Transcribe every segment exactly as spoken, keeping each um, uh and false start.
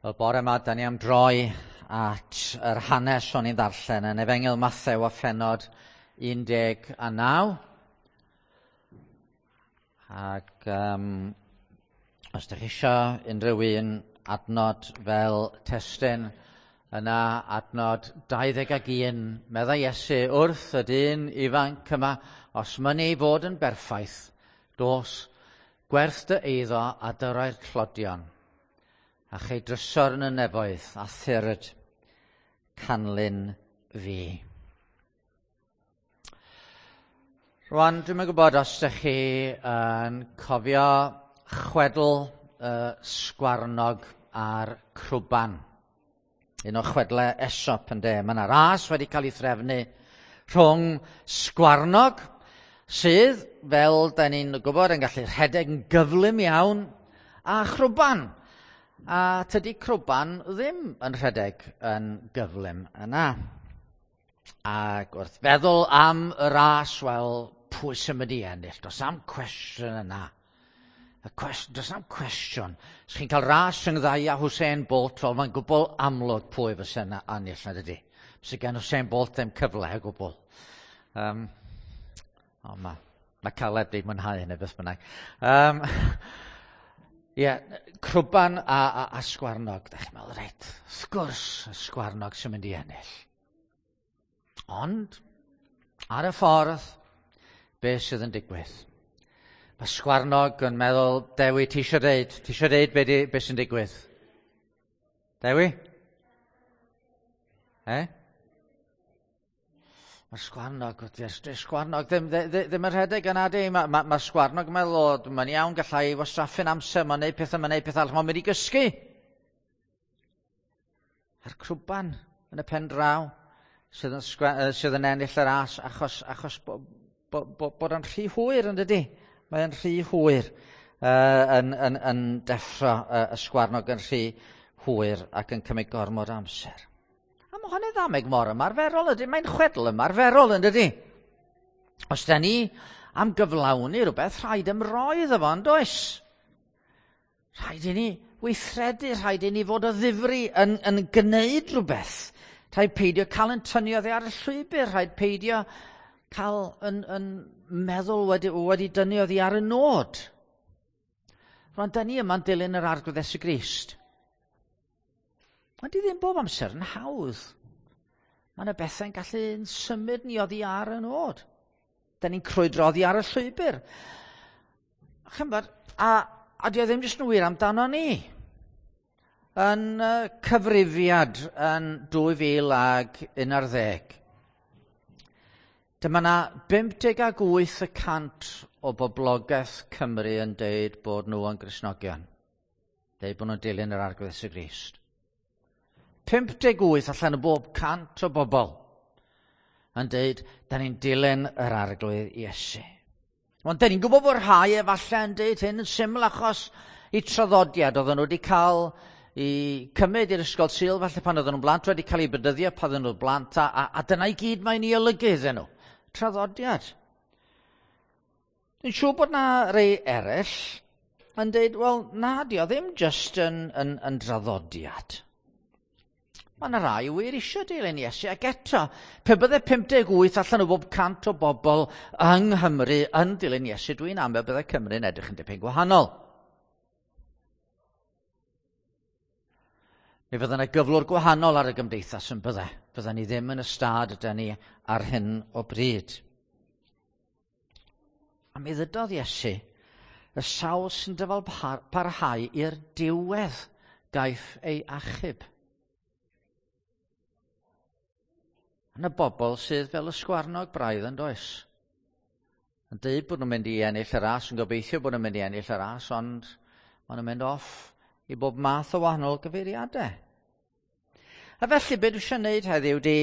Wel, bore yma, da ni am droi at yr hanes o'n i'n ddarllen yn Efengyl Mathew a phennod un deg a naw. Ac um, os ydych chi eisiau unrhyw un adnod fel testun, yna adnod dau ddeg ag un, meddai Iesu wrth y dyn ifanc yma, os mynni fod yn berffaith, dos, gwerth dy eiddo a dyrau'r tlodion, a chei drysor yn y nefoedd, a thyrd canlyn fi. Rwan, dwi'm yn gwybod os ydych chi yn cofio chwedl uh, Sgwarnog a'r Crwban. Un o chwedlau Aesop yn de. Mae yna ras wedi cael ei threfnu rhwng Sgwarnog, sydd, fel da ni'n gwybod, yn gallu rhedeg yn gyflym iawn, a Chrwban. A tydi Crwban ddim yn rhedeg yn gyflym yna. Ac wrth feddwl am y ras, wel, pwy sy'n mynd i ennill? Does am cwestiwn yna. Y cwest, does am cwestiwn. Os chi'n cael ras rhwng ddau a Usain Bolt, wel, mae'n gwbl amlwg pwy fysa yna ennill, na dydy. Fysa gen Usain Bolt ddim cyfle o gwbl. Um, o, ma, mae Caleb wedi mwynhau hynny beth bynnag. Um, Ie, yeah, Crwban a, a, a Sgwarnog. Da chi'n meddwl, reit, wrth gwrs, y Sgwarnog sy'n mynd i ennill. Ond, ar y ffordd, beth sydd yn digwydd? Mae Sgwarnog yn meddwl, Dewi, ti eisiau deud? Ti eisiau deud be, di, be sy'n digwydd? Dewi? E? Mae'r Sgwarnog, dy'r Sgwarnog ddim, ddim, ddim yn rhedeg yna di. Mae ma, ma Sgwarnog yn meddwl, o, mae'n iawn, gallai wastraffu'n amser, mae'n neud pethau, mae'n neud pethau arall, mae'n mynd i gysgu. A'r Crwban yn y pen draw sydd yn, sgwe, sydd yn ennill y ras achos, achos bo, bo, bo, bod o'n rhy hwyr yn dydi. Mae'n rhy hwyr uh, yn, yn, yn deffro uh, y Sgwarnog yn rhy hwyr ac yn cymryd gormod amser. A mae hwn yn ddameg mor ymarferol ydy, mae'n chwedl ymarferol yn dydi. Os da ni am gyflawni rhywbeth, rhaid ymroi iddo fo, yn does? Rhaid i ni weithredu, rhaid i ni fod o ddifri yn, yn gwneud rhywbeth. Rhaid peidio cael yn tynnu oddi ar y llwybr, rhaid peidio cael yn, yn meddwl wedi, wedi dynnu oddi ar y nod. Rwan, da ni yma'n dilyn yr Arglwydd Iesu Grist. Ond di ddim bob amser yn hawdd. Mae yna bethau'n gallu symud ni oddi ar y nod. Da ni'n crwydro oddi ar y llwybr. Chymod, a, a di o ddim jyst yn wir amdano ni. Yn uh, cyfrifiad yn dwy fil ag un ar ddeg. Dyma na bump deg ag wyth y cant o boblogaeth Cymru yn deud bod nhw yn Gristnogion. Deud bod nhw'n dilyn yr Arglwydd Iesu Grist. pump deg wyth allan o bob cant o bobl yn deud, da ni'n dilyn yr Arglwydd Iesu. Ond da ni'n gwybod bod rhai efallai yn deud hyn yn syml achos i traddodiad oedden nhw wedi cael i cymryd i'r ysgol Sul, falle pan oedden nhw'n blant, wedi cael eu bedyddio pan oedden nhw'n blant, a, a, a dyna i gyd mae'n ei olygu iddyn nhw. Traddodiad. Dwi'n siŵr bod na rei eraill yn deud, wel, na, di o ddim just yn, yn, yn draddodiad. Mae yna rai wir eisiau dilyn Iesu, ac eto, pe bydde pump deg wyth allan o bob cant o bobl yng Nghymru yn dilyn Iesu, dwi'n amau bydde Cymru'n edrych yn dipyn gwahanol. Mi fydde yna gyflwr gwahanol ar y gymdeithas yn bydde. Fydde ni ddim yn y stad yda ni ar hyn o bryd. A mi ddydodd Iesu, y sawl sy'n dyfal parhau i'r diwedd gaiff ei achub. Yna bobl sydd fel y Sgwarnog braidd yn does. Yn deud bod nhw'n mynd i ennill y ras, yn gobeithio bod nhw'n mynd i ennill y ras, ond maen nhw'n mynd off i bob math o wahanol gyfeiriadau. A felly, be dwi eisiau gwneud heddiw di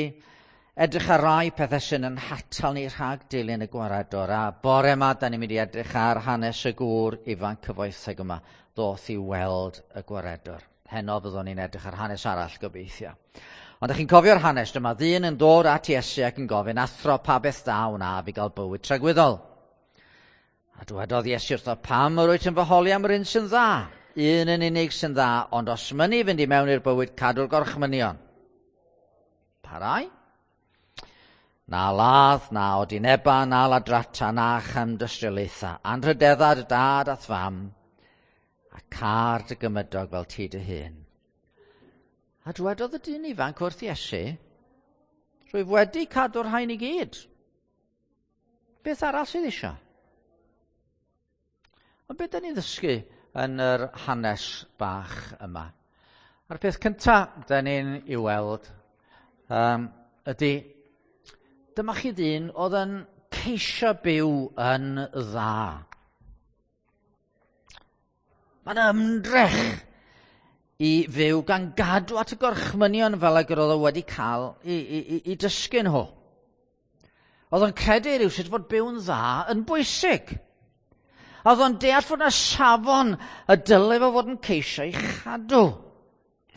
edrych ar rai pethau sy'n yn hatal ni rhag dilyn y gwaredwr. A bore yma, da ni'n mynd i edrych ar hanes y gŵr ifanc cyfoethog yma, ddoth i weld y gwaredwr. Heno fyddwn ni'n edrych ar hanes arall gobeithio. Ond ydych chi'n cofio'r hanes, dyma ddyn yn dod at Iesu ac yn gofyn, athro, pa beth da wna fi gael bywyd tragwyddol? A dywedodd Iesu wrtho, pam yr wyt yn fy holi am yr un sy'n dda? Un yn unig sy'n dda, ond os mynnu fynd i mewn i'r bywyd, cadw'r gorchmynion. Pa rai? Na ladd, na odineba, na ladrata, na chamdystiolaetha. Anrhydedda dy dad a'th fam, a car dy gymydog fel ti dy hun. A dwedodd y dyn ifanc wrth Iesu, rwyf wedi cadw'r rhain i gyd. Beth arall sydd eisiau? Ond beth da ni'n ddysgu yn yr hanes bach yma? A'r peth cyntaf da ni'n ei weld um, ydy, dyma chi ddyn oedd yn ceisio byw yn dda. Mae'n ymdrech i fyw gan gadw at y gorchmynion fel ag yr oedd o wedi cael i, i, i, i dysgu nhw. Oedd o'n credu rhywsut fod byw'n dda yn bwysig. Oedd o'n deall fod yna safon y dylai fo fod yn ceisio ei chadw.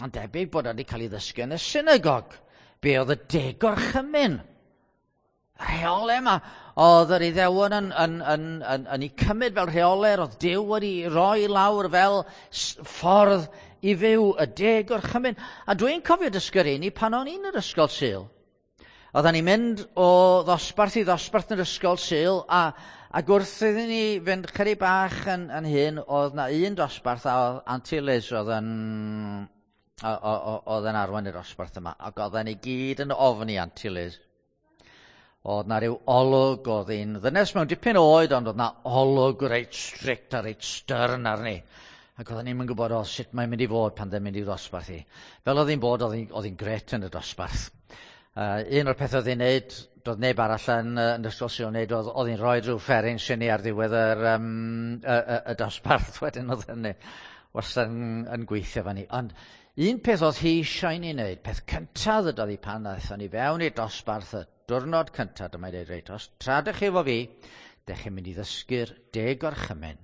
Mae'n debyg bod o wedi cael ei ddysgu yn y synagog. Be oedd y deg gorchymyn? Rheolau yma oedd yr Iddewon yn, yn, yn, yn, yn ei cymryd fel rheolau, oedd Duw wedi roi lawr fel ffordd i fyw y deg gorchymyn. A dwi'n cofio dysgu'r un i pan o'n i'n yr ysgol Sul. Oedden ni'n mynd o ddosbarth i ddosbarth yn yr ysgol Sul, a, ac wrth iddyn ni fynd chydig bach yn, yn hyn, oedd na un dosbarth a oedd Auntie Liz oedd yn, oedd yn arwain y dosbarth yma, ac oedden ni gyd yn ofni Auntie Liz. Oedd na ryw olwg, oedd hi'n ddynes mewn dipyn oed, ond oedd na olwg reit strict a reit stern arni. Ac oedden ni'n gwybod o sut mae'n mynd i fod pan ddim mynd i ddosbarth hi. Fel oedd hi'n bod, oedd hi'n gret yn y dosbarth. Uh, un o'r pethau oedd hi'n neud, doedd neb arall yn, yn ysgol Sul yn neud, oedd, oedd hi'n rhoi rhyw fferin syni ar ddiwedd yr, um, y, y, y dosbarth wedyn oedd hynny wastad yn, yn gweithio fan ni. Ond un peth oedd hi eisiau ni wneud, peth cyntaf ddydodd hi pan aethon ni fewn i'r dosbarth y diwrnod cyntaf, dyma i dweud, reit, os tra dych chi efo fi, dych chi'n mynd i ddysgu'r deg gorchymyn.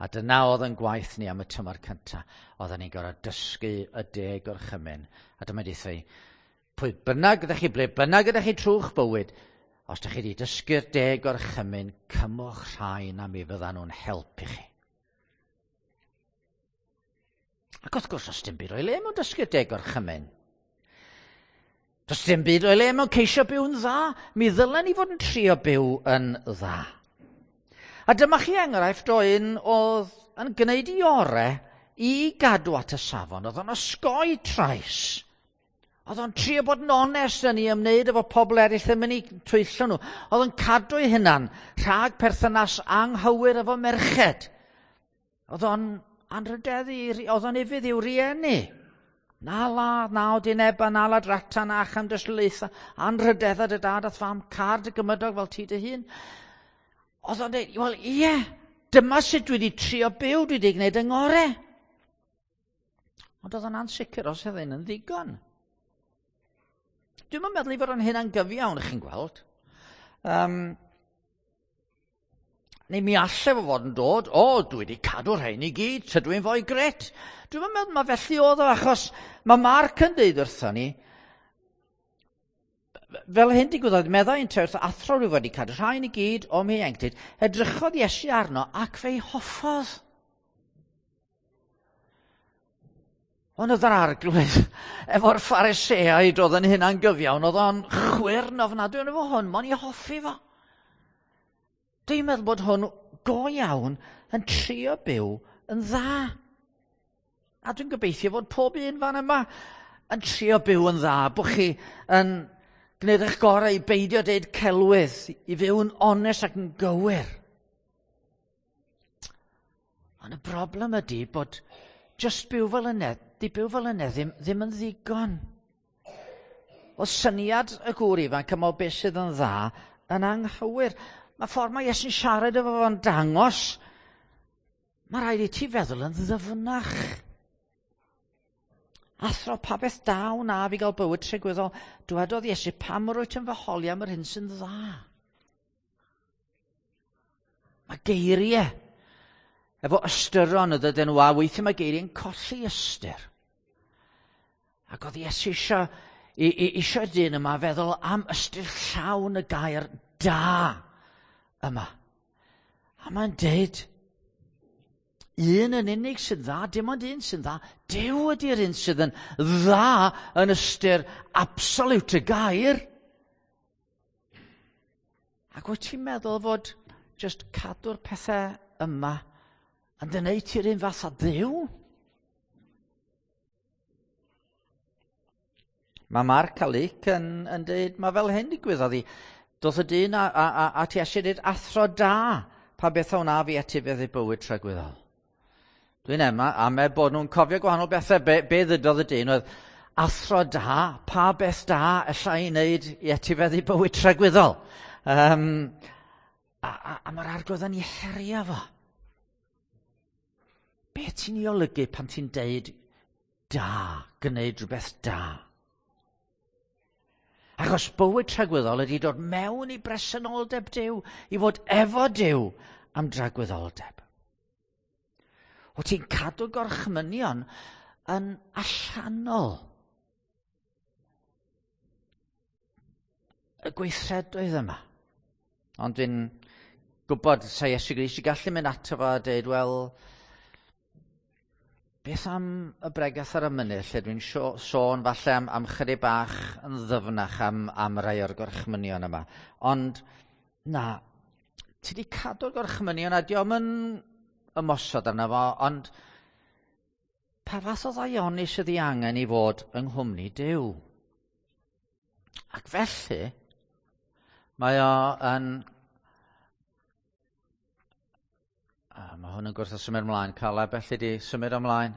A dyna oedd yn gwaith ni am y tymor cyntaf. Oedden ni'n gorfod dysgu y deg gorchymyn. A dyma i dweud, pwy bynnag ydych chi, ble bynnag ydych chi trwy'ch bywyd, os ydych chi wedi dysgu'r deg gorchymyn, cymwch rhain a mi fyddan nhw'n helpu chi. Ac wrth gwrs, os dim byd o'i le mewn dysgu'r deg gorchymyn. Does dim byd o'i le mewn ceisio byw'n dda. Mi ddylen ni fod yn trio byw yn dda. A dyma chi enghraifft o un oedd yn gwneud i orau i gadw at y safon. Oedd o'n osgoi trais. Oedd o'n trio bod yn onest yn ei ymwneud efo pobl eraill ddim yn ei twyllo nhw. Oedd o'n cadw ei hunan rhag perthynas anghywir efo merched. Oedd o'n anrhydeddu, oedd o'n ufudd i'w rieni. Na ladd, na odineba, na ladrata, na chamdystiolaetha, anrhydedda dy dad a'th fam, car dy gymydog fel ti dy hun. Oedd o'n dweud, wel ie, dyma sut dwi wedi trio byw, dwi wedi gwneud yng ngorau. Ond oedd o'n ansicr os oedd hyn yn ddigon. Dwi'm yn meddwl i fod o'n hynna'n gyfiawn, chi'n gweld. Um, neu mi allai fo fod yn dod, o, dwi wedi cadw rhain i gyd, tydw i'n fwy gret. Dwi'm yn meddwl mae felly oedd o, achos mae Mark yn deud wrthon ni, fel hyn digwyddodd, meddai yn wrth athro rwy wedi cadw rhain i gyd o'm hieuenctid, edrychodd Iesu arno ac fe'i hoffodd. Ond oedd yr arglwydd efo'r Phariseaid oedd yn hynna'n gyfiawn, oedd o'n chwyrn ofnadwy efo hwn, mo'n i hoffi fo. Dwi'n meddwl bod hwn go iawn yn trio byw yn dda. A dwi'n gobeithio fod pob un fan yma yn trio byw yn dda, bod chi yn gwneud eich gorau i beidio deud celwydd, i fyw'n onest ac yn gywir. Ond y broblem ydy bod just byw fel yna, di byw fel yna ddim, ddim yn ddigon. O syniad y gŵr ifanc yma o beth sydd yn dda yn anghywir. Mae ffordd mae Iesu'n siarad efo fo'n dangos, mae rhaid i ti feddwl yn ddyfnach. Athro, pa beth da wna fi gael bywyd tragwyddol? Dwedodd Iesu, pam rwyt yn fy holi am yr hyn sy'n dda? Mae geiriau efo ystyron ydyn nhw, a weithiau mae geiriau'n colli ystyr. Ac oedd Iesu eisiau, eisiau dyn yma feddwl am ystyr llawn y gair da yma. A mae'n deud, Un yn unig sy'n dda, dim ond un sy'n dda. Duw ydy'r un sydd yn dda yn ystyr absolute y gair. Ac wyt ti'n meddwl fod just cadw'r pethau yma yn dy wneud ti'r un fath â Dduw? Mae Mark a Luke yn, yn dweud, mae fel hyn digwyddodd i. Doedd y dyn a, a, a, a ti eisiau dweud athro da, pa beth a wna fi etifeddu bywyd tragwyddol. Dwi'n ema, a me bod nhw'n cofio gwahanol bethau. Be, be ddydodd y dyn oedd, athro da, pa beth da alla i wneud i etifeddu bywyd tragwyddol. Um, a, a, a mae'r Arglwydd yn ei herio fo. Be ti'n ei olygu pan ti'n deud da, gwneud rhywbeth da? Achos bywyd tragwyddol ydy dod mewn i bresenoldeb Duw, i fod efo Duw am dragwyddoldeb. O ti'n cadw gorchmynion yn allanol. Y gweithredoedd yma. Ond dwi'n gwybod, sa Iesu Grist i gallu mynd ato fo a dweud, wel, beth am y bregath ar y mynydd, lle dwi'n sôn falle am, am chydig bach yn ddyfnach am, am rai o'r gorchmynion yma. Ond, na, ti di cadw'r gorchmynion a dio'm yn ymosod arno fo, ond pa fath o ddaioni sydd ei angen i fod yng nghwmni Duw? Ac felly, mae o yn... A mae hwn yn gwrthod symud ymlaen. Caleb, felly di symud ymlaen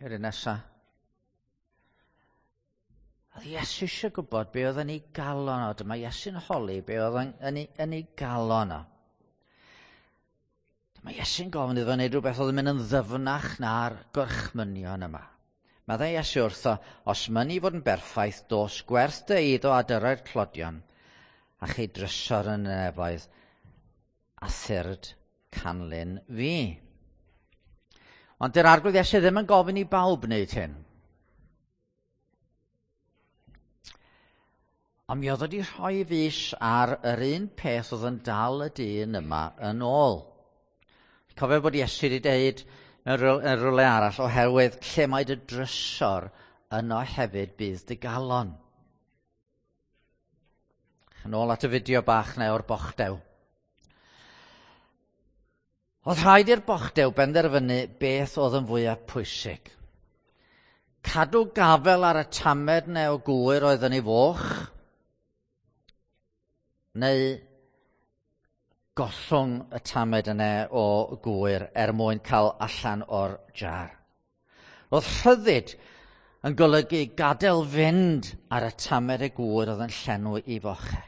i'r un nesa. Oedd Iesu eisiau gwybod be oedd yn ei galon o. Dyma Iesu'n holi be oedd yn, yn, ei, yn ei galon o. Dyma Iesu'n gofyn iddo wneud rhywbeth oedd yn mynd yn ddyfnach na'r gorchmynion yma. Meddai Iesu wrtho, os mynni fod yn berffaith, dos gwerth dy eiddo a dyrau'r tlodion, a chei drysor yn y nefoedd, a thyrd canlyn fi. Ond dy'r Arglwydd Iesu ddim yn gofyn i bawb wneud hyn. Ond mi oedd wedi rhoi fys ar yr un peth oedd yn dal y dyn yma yn ôl. Cofio bod Iesu wedi dweud mewn rhywle arall, oherwydd lle mae dy drysor yno hefyd bydd dy galon. Yn ôl at y fideo bach neu o'r bochdew. Oedd rhaid i'r bochdew benderfynu beth oedd yn fwyaf pwysig. Cadw gafel ar y tamed neu o gwyr oedd yn ei foch, neu gollwng y tamed yna o gwyr er mwyn cael allan o'r jar. Oedd rhyddid yn golygu gadael fynd ar y tamed y gwyr oedd yn llenwi i fochau.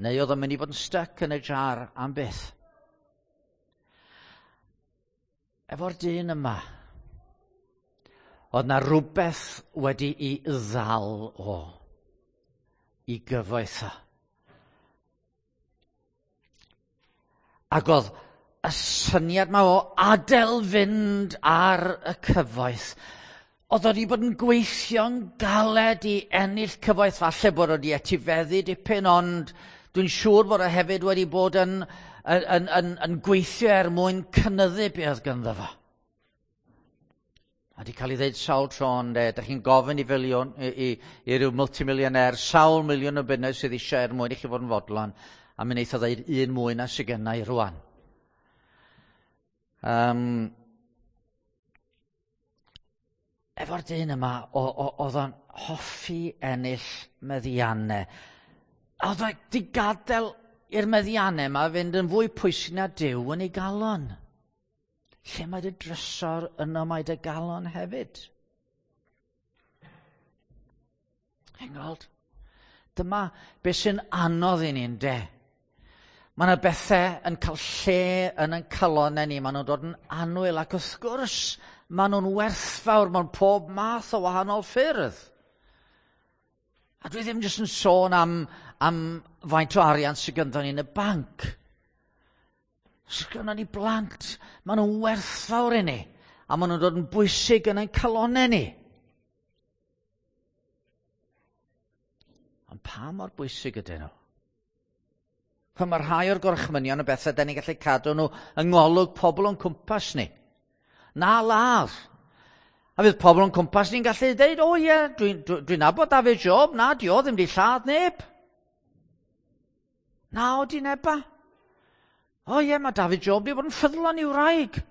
Neu oedd yn mynd i fod yn styc yn y jar am byth. Efo'r dyn yma, oedd na rhywbeth wedi'i ddal o i gyfoeth o. Ac oedd y syniad yma o adael fynd ar y cyfoeth, oedd wedi bod yn gweithio'n galed i ennill cyfoeth, falle bod wedi etifeddu dipyn, ond dwi'n siŵr bod o hefyd wedi bod yn, yn, yn, yn, yn gweithio er mwyn cynyddu be oedd ganddo fo. A di cael ei ddeud sawl tro, ond e, dych chi'n gofyn i filiwn, i, i, i ryw multimillionaire, sawl miliwn o bunnoedd sydd eisiau er mwyn i chi fod yn fodlon, a mi wneith o ddeud un mwy na sydd genna i rwan. Um, efo'r dyn yma, oedd o'n hoffi ennill meddiannau. A oedd o wedi gadael i'r meddiannau yma fynd yn fwy pwysig na Duw yn ei galon. Lle mae dy drysor, yno mae dy galon hefyd. Chi'n gweld? Dyma beth sy'n anodd i ni, ynde? Mae yna bethau yn cael lle yn ein calonnau ni, maen nhw'n dod yn annwyl, ac wrth gwrs, maen nhw'n werthfawr mewn pob math o wahanol ffyrdd. A dwi ddim jyst yn sôn am, am faint o arian sydd gynddon ni yn y banc. Sydd gynnon ni blant, maen nhw'n werthfawr i ni, a maen nhw'n dod yn bwysig yn ein calonnau ni. Ond pa mor bwysig ydyn nhw? Mae rhai o'r gorchmynion y bethau da ni'n gallu cadw nhw yng ngolwg pobl o'n cwmpas ni. Na ladd. A fydd pobl o'n cwmpas ni'n gallu dweud, o ie, dwi'n dwi, dwi nabod David Job, na, di o ddim di lladd neb. Na, o di neba. O ie, mae David Job di bod yn ffyddlon i'w wraig.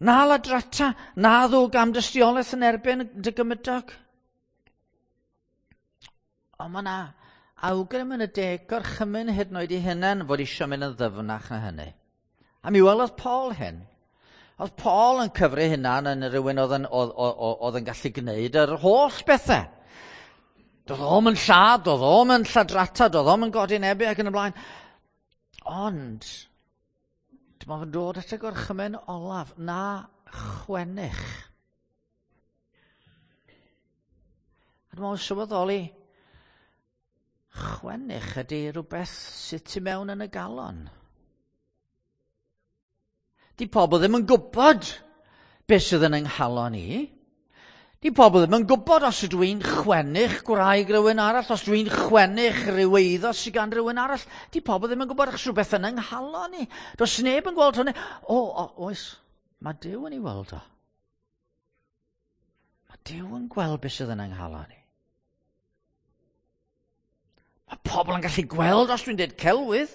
Na ladrata, na ddwg am dystiolaeth yn erbyn dy gymydog. Ond mae na awgrym yn y deg gorchymyn hyd yn oed i hunain fod eisiau mynd yn ddyfnach na hynny. A mi welodd Paul hyn. Oedd Paul yn cyfri hunan yn rhywun oedd yn, oedd, oedd, oedd yn gallu gwneud yr holl bethau. Doedd o'm yn lladd, doedd o'm yn lladrata, doedd o'm yn godi nebu ac yn y blaen. Ond, dyma fo'n dod at y gorchymyn olaf, na chwennych. A dyma fo'n sylweddoli, chwennych ydy rhywbeth sydd tu mewn yn y galon. Di pobl ddim yn gwybod beth sydd yn yng nghalon i. Di pobl ddim yn gwybod os ydw i'n chwennych gwraig rhywun arall, os ydw i'n chwennych rhyw eiddo sydd gan rhywun arall. Di pobl ddim yn gwybod achos rhywbeth yn yng nghalon i. Does neb yn gweld hwnna. O, o, oes, mae Duw yn ei weld o. Mae Duw yn gweld beth sydd yn yng nghalon i. Mae pobl yn gallu gweld os dwi'n dweud celwydd,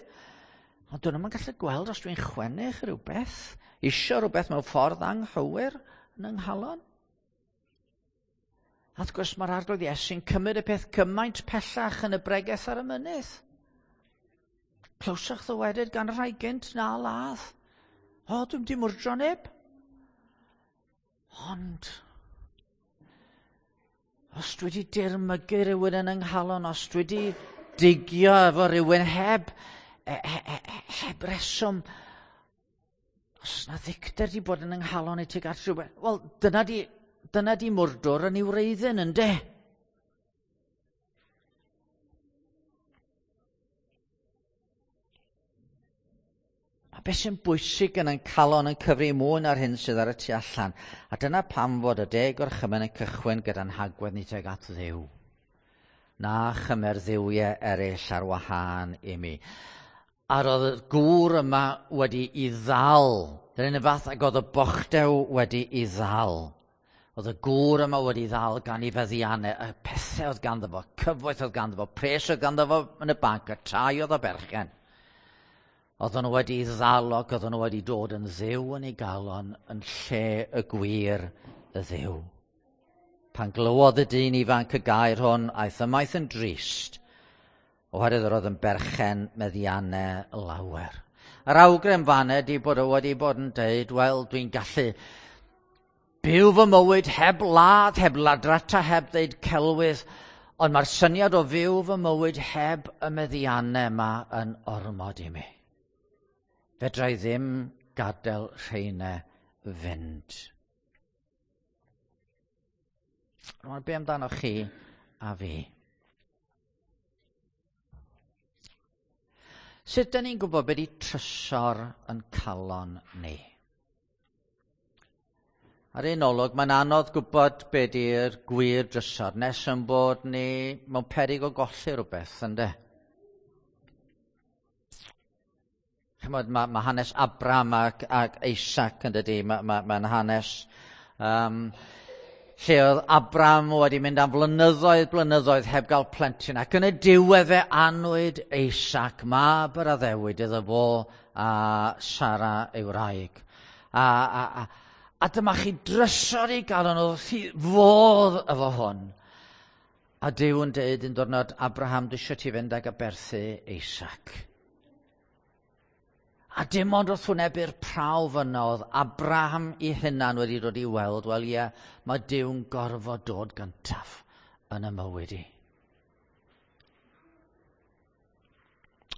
ond dyn nhw'n gallu gweld os dwi'n chwennych rhywbeth, isio rhywbeth mewn ffordd anghywir yn yng nghalon. A wrth gwrs mae'r Arglwydd Iesu'n cymryd y peth cymaint pellach yn y bregeth ar y mynydd. Clywsoch ddywedyd gan rhai gynt na ladd. O, dwi'm di mwrdro neb. Ond os dwi wedi dirmygu rhywun yn yng nghalon, os dwi wedi digio efo rhywun heb, he, he, heb reswm, os na ddicter di bod yn yng nghalon i tuag at rhywbeth, wel, dyna di, dyna di mwrdwr yn ei wreiddyn, ynde? A beth sy'n bwysig yn ein calon yn cyfri mwy na'r hyn sydd ar y tu allan. A dyna pam fod y deg gorchymyn yn cychwyn gyda'n hagwedd ni tuag at Dduw. Na chymer dduwiau eraill ar wahân i mi. A roedd y gŵr yma wedi i ddal. Dyna'n y fath ag oedd y bochdew wedi i ddal. Oedd y gŵr yma wedi ddal gan ei feddiannau, y pethau oedd ganddo fo, cyfoeth oedd ganddo fo, pres oedd ganddo fo yn y banc, y tai oedd o berchen. Oedden nhw wedi ddal ac oedden nhw wedi dod yn dduw yn ei galon yn lle y gwir y Dduw. Pan glywodd y dyn ifanc y gair hwn, aeth ymaith yn drist, oherwydd yr oedd yn berchen meddiannau lawer. Yr awgrym fan ydi bod o wedi bod yn deud, wel, dwi'n gallu byw fy mywyd heb ladd, heb ladrata, heb ddeud celwydd, ond mae'r syniad o fyw fy mywyd heb y meddiannau yma yn ormod i mi. Fedra i ddim gadael rheina fynd. Rwan, be amdano chi a fi? Sut dyn ni'n gwybod beth ydi trysor yn calon ni? Ar un olwg, mae'n anodd gwybod be di'r gwir drysor nes yn bod ni mewn peryg o golli rhywbeth, ynde? Chymod, mae, mae hanes Abraham ac, ac Isaac yn dydi, mae'n ma, ma hanes um, lle oedd Abraham wedi mynd am flynyddoedd, blynyddoedd heb gael plentyn, ac yn y diwedd fe anwyd Isaac, mab yr addewid iddo fo a Sara ei wraig. A, a, a, a dyma chi drysor i galon oedd fodd efo hwn. A Duw yn deud un diwrnod, Abraham, dwi eisiau ti fynd ag aberthu Isaac. A dim ond wrth wynebu'r prawf yna oedd Abraham i hunan wedi dod i weld, wel ie, mae Duw'n gorfod dod gyntaf yn y mywyd i.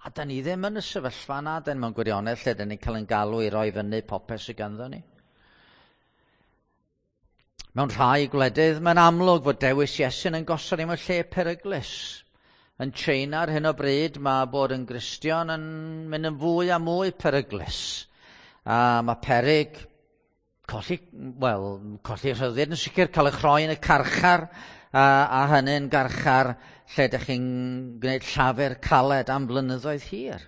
A da ni ddim yn y sefyllfa yna, dyn mewn gwirionedd, lle dyn ni'n cael ein galw i roi fyny popeth sydd ganddo ni. Mewn rhai gwledydd, mae'n amlwg fod dewis Iesu'n yn gosod ni mewn lle peryglus. Yn China ar hyn o bryd, mae bod yn Gristion yn mynd yn fwy a mwy peryglus. A mae peryg colli, wel, colli rhyddid yn sicr, cael eich rhoi yn y carchar, a, a hynny'n garchar lle ydych chi'n gwneud llafur caled am flynyddoedd hir.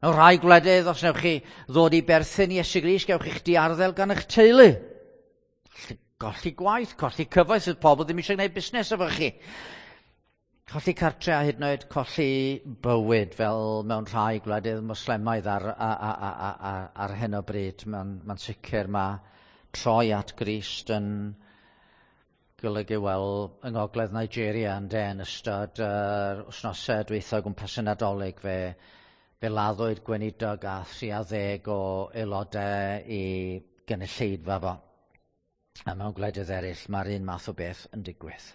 Mewn rhai gwledydd, os newch chi ddod i berthyn i Iesu Grist, gewch chi'ch diarddel gan eich teulu. Golli gwaith, colli cyfoeth, sydd pobl ddim eisiau gwneud busnes efo chi. Colli cartre a hyd yn oed colli bywyd fel mewn rhai gwledydd Moslemaidd ar, ar, ar, ar, ar hyn o bryd. Mae'n ma sicr mae troi at Grist yn golygu, wel, yng ngogledd Nigeria yn de, yn ystod yr uh, wythnosau dwytha gwmpas y Nadolig fe, fe laddwyd gweinidog a thri ar ddeg o aelodau i gynulleidfa fo. A mewn gwledydd eraill mae'r un math o beth yn digwydd.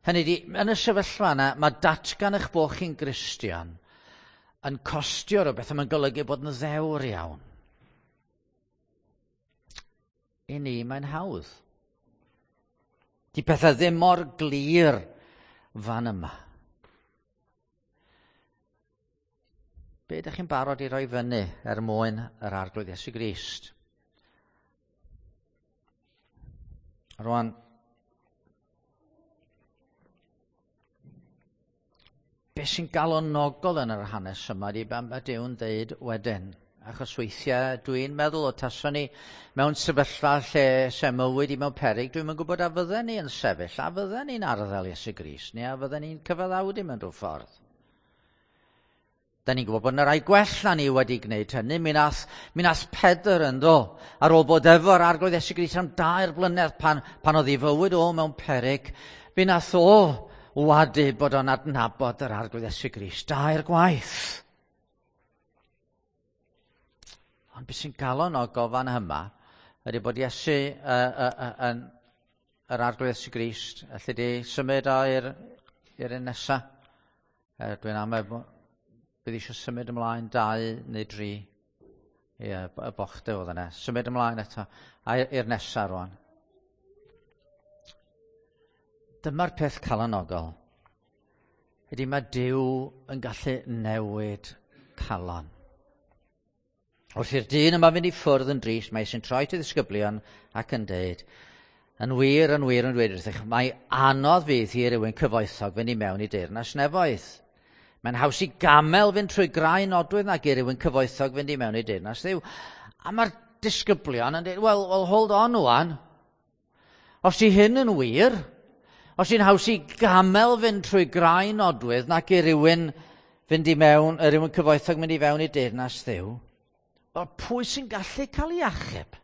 Hynny ydi, yn y sefyllfa yna, mae datgan eich bod chi'n Gristion yn costio rhywbeth a mae'n golygu bod yn ddewr iawn. I ni, mae'n hawdd. Di pethau ddim mor glir fan yma. Be ydych chi'n barod i roi fyny er mwyn yr Arglwydd Iesu Grist? Rwan, be sy'n galonogol yn yr hanes yma ydy be mae Duw'n deud wedyn. Achos weithiau dwi'n meddwl o taswn ni mewn sefyllfa lle se mywyd i mewn peryg, dwi'm yn gwybod a fydden ni yn sefyll, a fydden ni'n arddel Iesu Grist, neu a fydden ni'n cyfaddawdu mewn rhyw ffordd. Da ni'n gwybod bod yna rai gwell na ni wedi gwneud hynny. Mi nath, mi nath Pedr yn do, ar ôl bod efo'r Arglwydd Iesu Grist am dair blynedd pan, pan oedd ei fywyd o mewn peryg, mi nath o wadu bod o'n adnabod yr Arglwydd Iesu Grist dair gwaith. Ond beth sy'n galonogol fan yma ydy bod Iesu uh, uh, uh, yn yr Arglwydd Iesu Grist, allu di symud o i'r, i'r un nesa. Uh, dwi'n amau bydd eisiau symud ymlaen dau neu dri. Ie, y bochde oedd yna. Symud ymlaen eto. A i'r nesa rwan. Dyma'r peth calonogol. Ydy mae Duw yn gallu newid calon. Wrth i'r dyn yma fynd i ffwrdd yn drist, mae sy'n troi at y ddisgyblion ac yn deud, yn wir, yn wir, yn dweud wrthych, mae anodd fydd i rywun cyfoethog fynd i mewn i deyrnas nefoedd. Mae'n haws i gamel fynd trwy graen nodwydd nag i rywun cyfoethog fynd i mewn i deyrnas Dduw. A mae'r disgyblion yn dweud, well, well, hold on wan. Os di hyn yn wir, os di'n haws i gamel fynd trwy graen nodwydd nag i rywun fynd i mewn, rywun cyfoethog mynd i fewn i deyrnas Dduw, wel, pwy sy'n gallu cael ei achub?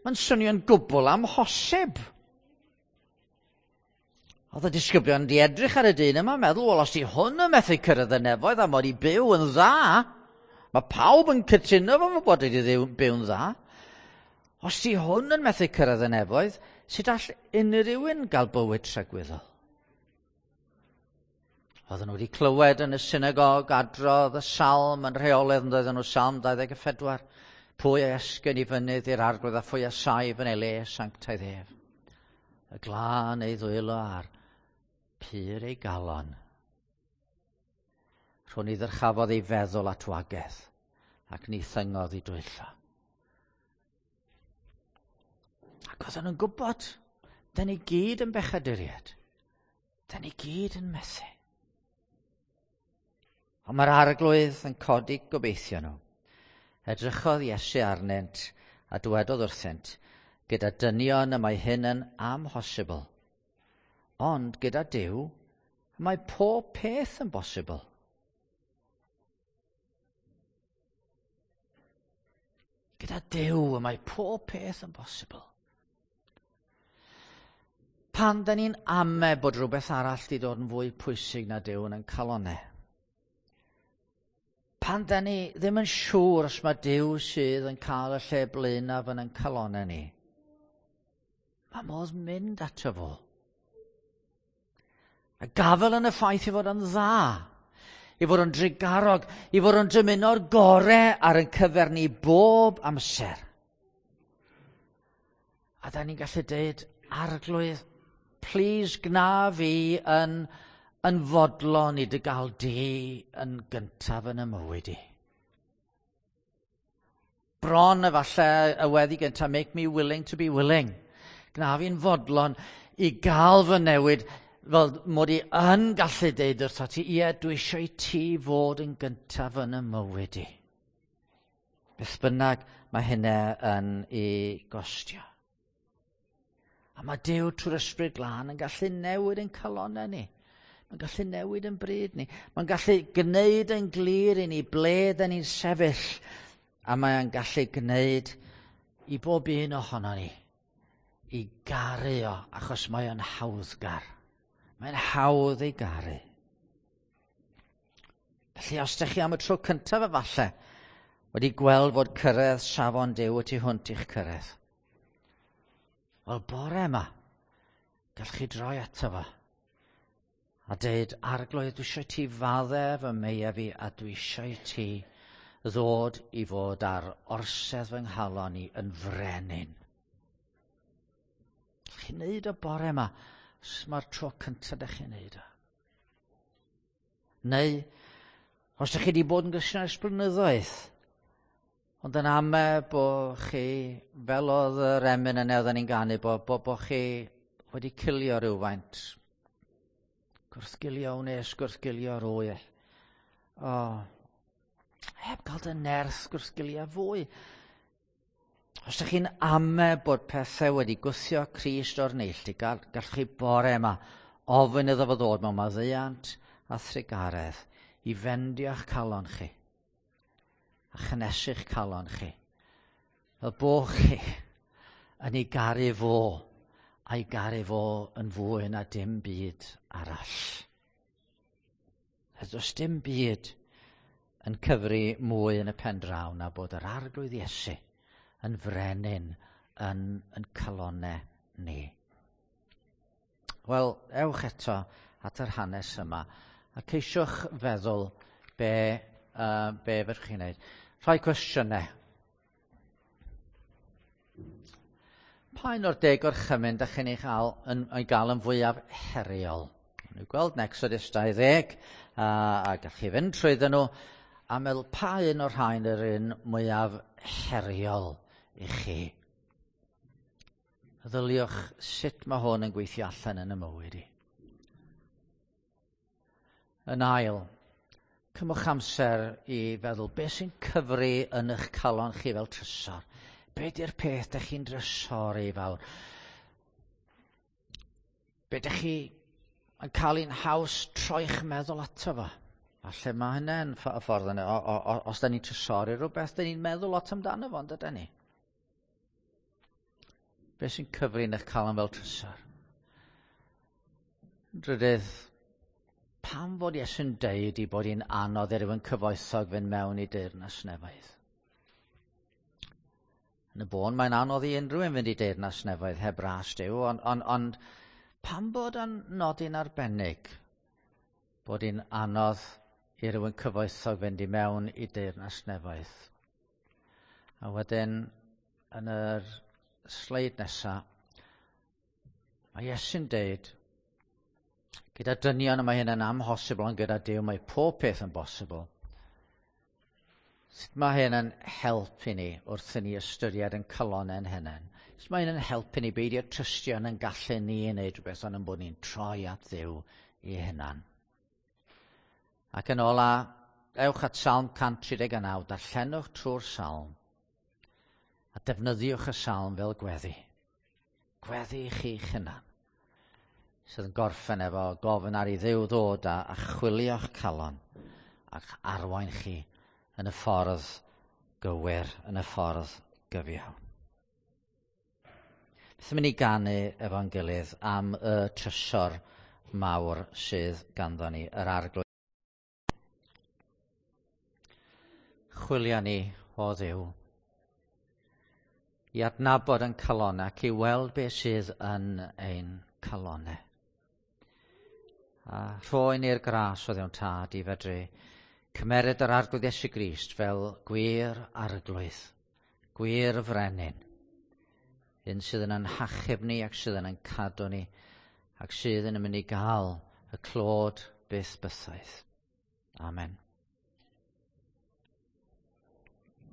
Mae'n swnio'n gwbl amhosib. Oedd y disgyblion wedi edrych ar y dyn yma, meddwl, wel, os di hwn yn methu cyrraedd y nefoedd a mod i byw yn dda, mae pawb yn cytuno fo bod wedi byw'n dda. Os di hwn yn methu cyrraedd y nefoedd, sut all unrhyw un gael bywyd tragwyddol? Oedden nhw wedi clywed yn y synagog adrodd y salm yn rheolaidd, yn doedden nhw salm dau ddeg a phedwar. Pwy a esgyn i fynydd i'r Arglwydd a phwy a saif yn ei le sanctaidd ef? Y glân ei ddwylo ar pur ei galon. Rhwng i ddyrchafodd ei feddwl at wagedd ac ni thyngodd i dwyllo. Ac oedden nhw'n gwybod, da ni gyd yn bechaduriaid. Da ni gyd yn methu. Ond mae'r Arglwydd yn codi gobeithio nhw. Edrychodd Iesu arnynt a dywedodd wrthynt, gyda dynion y mae hyn yn amhosibl. Ond gyda Duw, mae pob peth yn bosibl. Gyda Duw, mae pob peth yn bosibl. Pan da ni'n ame bod rhywbeth arall di dod yn fwy pwysig na Duw yn ein calonau, pan da ni ddim yn siŵr os mae Duw sydd yn cael y lle blaenaf yn ein calonau ni, mae modd mynd ato fo. A gafel yn y ffaith i fod yn dda, i fod yn drugarog, i fod yn dymuno'r gorau ar ein cyfer ni bob amser. A da ni'n gallu deud, Arglwydd, please gna fi yn, yn fodlon i dy gael di yn gyntaf yn y mywyd i. Bron efallai y weddi gyntaf, make me willing to be willing. Gna fi'n fodlon i gael fy newid, fel mod i yn gallu deud wrtho ti, ie, dwi eisiau i ti fod yn gyntaf yn y mywyd i. Beth bynnag mae hynna yn ei gostio. A mae Duw trwy'r Ysbryd Glân yn gallu newid yn calonnau ni. Mae'n gallu newid yn bryd ni. Mae'n gallu gwneud yn glir i ni ble dyn ni'n sefyll. A mae'n gallu gwneud i bob un ohono ni i garu o, achos mae o'n hawddgar. Mae'n hawdd ei garu. Felly, os ydych chi am y tro cyntaf efallai wedi gweld fod cyrraedd safon Duw y tu hwnt i'ch cyrraedd, wel, bore yma, gallwch chi droi ato fo a deud, Arglwydd, dwi eisiau ti faddau fy meiau fi a dwi eisiau ti ddod i fod ar orsedd fy nghalon i yn frenin. Chi'n neud o bore yma, os mae'r tro cyntaf ydych chi'n neud o. Neu, os ydych chi wedi bod yn Gristion ers blynyddoedd, ond yn ame bod chi, fel oedd yr emyn yna oedden ni'n ganu, bod, bo, bo chi wedi cilio rhywfaint. Gwrthgilio wnes, gwrthgilio rwy. O, heb gael dy nerth gwrthgilio fwy. Os ydych chi'n ame bod pethau wedi gwthio Crist o'r neilltu, gall, gallwch chi bore yma ofyn iddo fo ddod mewn maddeuant a thrugaredd i fendio'ch calon chi a chynnesu'ch calon chi. Fel bo chi yn ei garu fo a'i garu fo yn fwy na dim byd arall. A does dim byd yn cyfri mwy yn y pen draw na bod yr Arglwydd Iesu yn frenin yn, yn calonnau ni. Wel, ewch eto at yr hanes yma a ceisiwch feddwl be, uh, be fedrwch chi'n wneud. Rhai cwestiynau. Pa un o'r deg orchymyn dach chi'n ei gael yn, ei gael yn fwyaf heriol? Nhw'n gweld yn Exodus dau ddeg, a, a gallwch chi fynd trwyddyn nhw, a meddwl pa un o'r rhain yr un mwyaf heriol i chi. Meddyliwch sut mae hwn yn gweithio allan yn y mywyd i. Yn ail, cymwch amser i feddwl beth sy'n cyfri yn eich calon chi fel trysor. Be di'r peth dych chi'n drysori fawr? Be dych chi yn cael un haws troi'ch meddwl ato fo? Falle mae hynny'n y ffordd yna. O, o, o, os da ni'n trysori rhywbeth, da ni'n meddwl lot amdano fo, ond ydyn ni? Be sy'n cyfri yn eich calon fel trysor? Drydydd, pam fod Iesu'n deud i bod hi'n anodd i rywun cyfoethog fynd mewn i deyrnas nefoedd? Yn y bôn, mae'n anodd i unrhyw un fynd i deyrnas nefoedd heb ras Duw, ond, on, ond pam bod yn nodi'n arbennig bod hi'n anodd i rywun cyfoethog fynd i mewn i deyrnas nefoedd? A wedyn, yn yr sleid nesaf, mae Iesu'n deud, gyda dynion y mae hyn yn amhosibl, ond gyda Duw mae pob peth yn bosibl. Sut mae hyn yn helpu ni wrth i ni ystyried yn calonnau'n hunain? Sut mae hyn yn helpu ni beidio trystio yn ein gallu ni i wneud rhywbeth, ond yn bod ni'n troi at Dduw i hunan? Ac yn ola, ewch at Salm cant tri deg naw, darllenwch trwy'r salm, a defnyddiwch y salm fel gweddi. Gweddi i chi'ch hunan, sydd yn gorffen efo gofyn ar i Dduw ddod a, a chwilio'ch calon ac arwain chi yn y ffordd gywir, yn y ffordd gyfiawn. Beth yn mynd i ganu efo'n gilydd am y trysor mawr sydd ganddo ni, yr Arglwydd. Chwilia ni, o Dduw, i adnabod yn calonnau ac i weld beth sydd yn ein calonnau. A rhoi ni'r gras o Dduw'n Tad i fedru cymeryd yr Arglwydd Iesu Grist fel gwir arglwydd, gwir frenin, un sydd yn ein hachub ni ac sydd yn ein cadw ni ac sydd yn mynd i gael y clod byth bythaidd. Amen.